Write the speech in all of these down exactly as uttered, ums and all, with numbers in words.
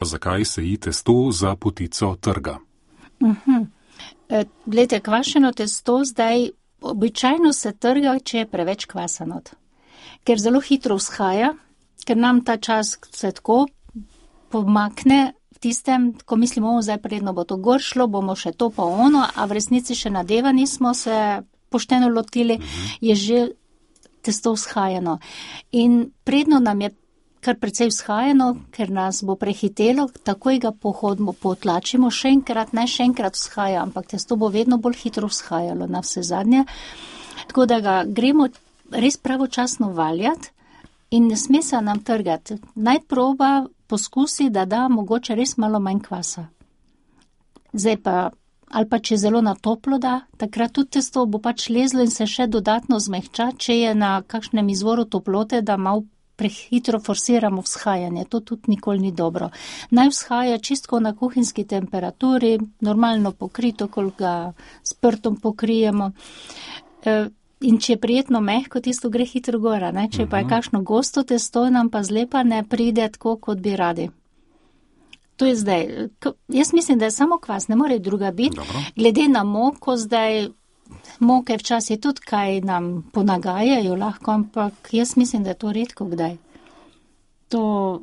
Zakaj se ji testo za potico trga? Uh-huh. E, glede, kvašeno testo zdaj običajno se trga, če je preveč kvasano. Ker zelo hitro vzhaja, ker nam ta čas se tako pomakne v tistem, ko mislimo, o, zdaj predno bo to gor šlo, bomo še to pa ono, a v resnici še nadeva nismo se pošteno lotili, uh-huh. je že testo vzhajano. In predno nam je kar precej vzhajano, ker nas bo prehitelo, takoj ga pohodimo, potlačimo, še enkrat, ne še enkrat vzhaja, ampak testo bo vedno bolj hitro vzhajalo na vse zadnje. Tako da ga gremo res pravočasno valjati in ne sme se nam trgati. Naj proba poskusi, da da mogoče res malo manj kvasa. Zdaj pa, ali pa če zelo na toplo da, takrat tudi testo bo pač lezlo in se še dodatno zmehča, če je na kakšnem izvoru toplote, da malo prehitro forsiramo vzhajanje, to tudi nikoli ni dobro. Naj vzhaja čistko na kuhinjski temperaturi, normalno pokrito, koliko ga s prtom pokrijemo. In če je prijetno mehko, tisto gre hitro gora, ne? Če pa je kakšno gosto testo, nam pa zlepa ne pride tako, kot bi radi. To je zdaj, jaz mislim, da je samo kvas, ne more druga biti. Dobro. Glede na moko zdaj, moke včasih tudi kaj nam ponagajajo lahko, ampak jaz mislim, da je to redko kdaj. To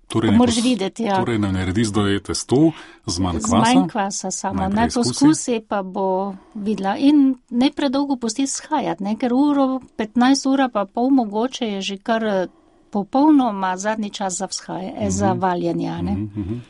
torej moraš videti, ja. Torej ne naredi zdaj testo z manj kvasa? Z manj kvasa samo. Naj poskusi, pa bo videla. In ne predolgo pusti shajati, ne? Ker uro, petnajst ura pa pol mogoče je že kar popolnoma zadnji čas za vzhaje, mm-hmm. za valjanje, ne? Mm-hmm.